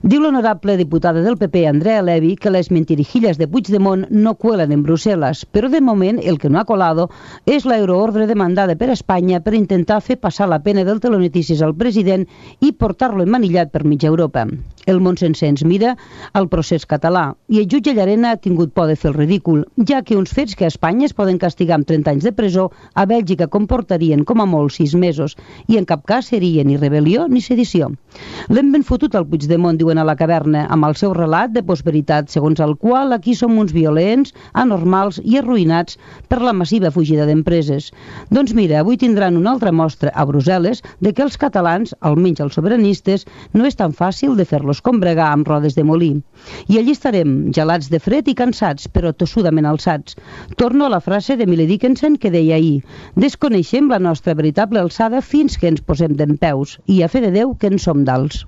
Diu l'honorable diputada del PP, Andrea Levy, que les mentirijillas de Puigdemont no cuelan en Brussel·les, però de moment el que no ha colado és la euroordre demandada per Espanya per intentar fer passar la pena del telenotícies al president i portar-lo emmanillat per mitja Europa. El món sencer ens mira al procés català i el jutge Llarena ha tingut por de fer el ridícul, ja que uns fets que a Espanya es poden castigar amb 30 anys de presó, a Bèlgica comportarien com a molt 6 mesos i en cap cas seria ni rebel·lió ni sedició. L'hem ben fotut al Puigdemont, diuen a la caverna, amb el seu relat de postveritat, segons el qual aquí som uns violents, anormals i arruïnats per la massiva fugida d'empreses. Doncs mira, avui tindran una altra mostra a Brussel·les de que els catalans, almenys els sobiranistes, no és tan fàcil de fer-los combregar amb rodes de molí. I allí estarem, gelats de fred i cansats, però tossudament alçats. Torno a la frase d'Emily Dickinson que deia ahir: desconeixem la nostra veritable alçada fins que ens posem dempeus, i a fe de Déu que en som d'alts.